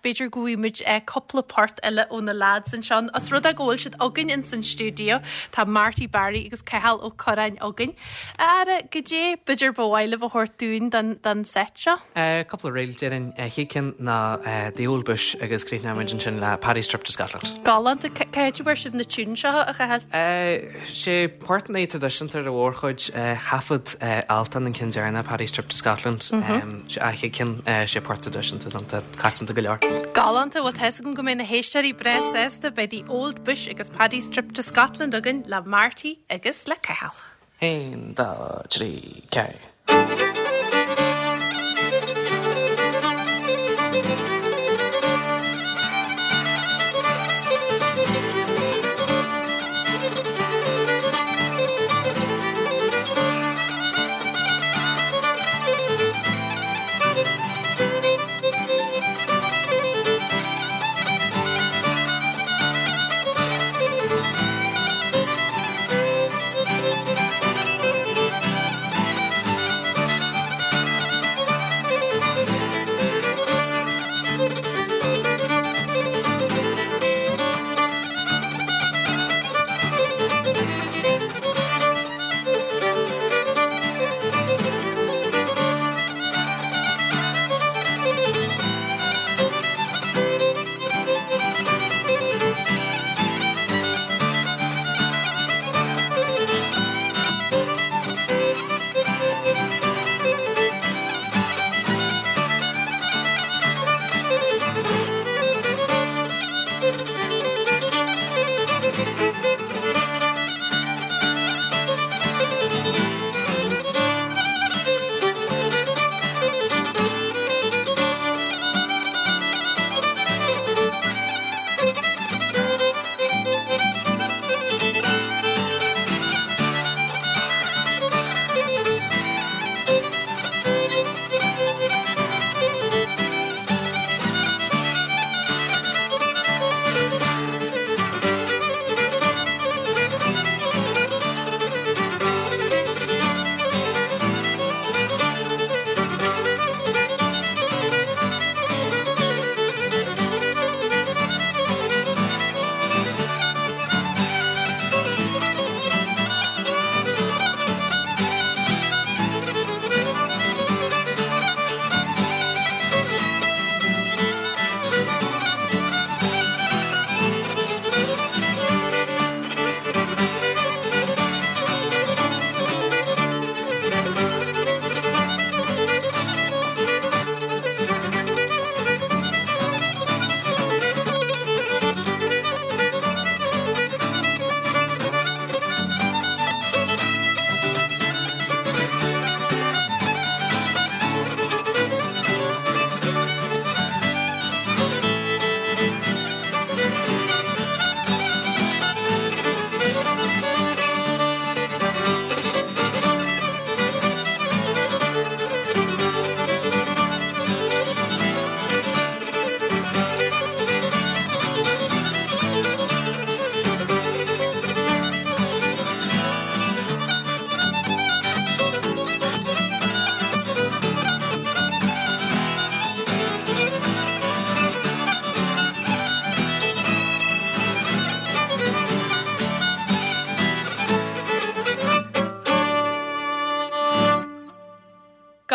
B'fhéidir go bhfaighidh muid cúpla port eile ó na lads anseo. Os rud é go bhfuil siad againn ins an stiúideo, tá Marty Barry agus Cathal Ó Curráin againn. A fheara, goidé b'fhéidir ba mhaith libh a thabhairt dúinn don don seit seo? Cúpla ríl, déarfainn. Chéad ceann ná The Old Bush agus críochnóidh muid ansin le Paddy's Trip to Scotland. Galánta. Cá háit a bhfuair sibh na tunes seo, a Chathail? Sé portanna traidisiúnta ar a mhórchuid. Thaifead Altan an ceann deireanach, Paddy's Trip to Scotland. Sé a chéad ceann, sé port traidisiúnta atá coitianta go leor. Galánta. Bhuel, tá 'fhios agam go mbeidh na héisteoirí breá sásta. Beidh The Old Bush agus Paddy's Trip to Scotland againn le Marty agus le Cathal. 1, 2, 3, 4.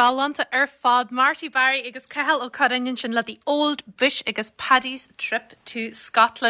Galánta ar fad. Marty Barry agus Cathal Ó Curráin ansin le The Old Bush agus Paddy's Trip to Scotland.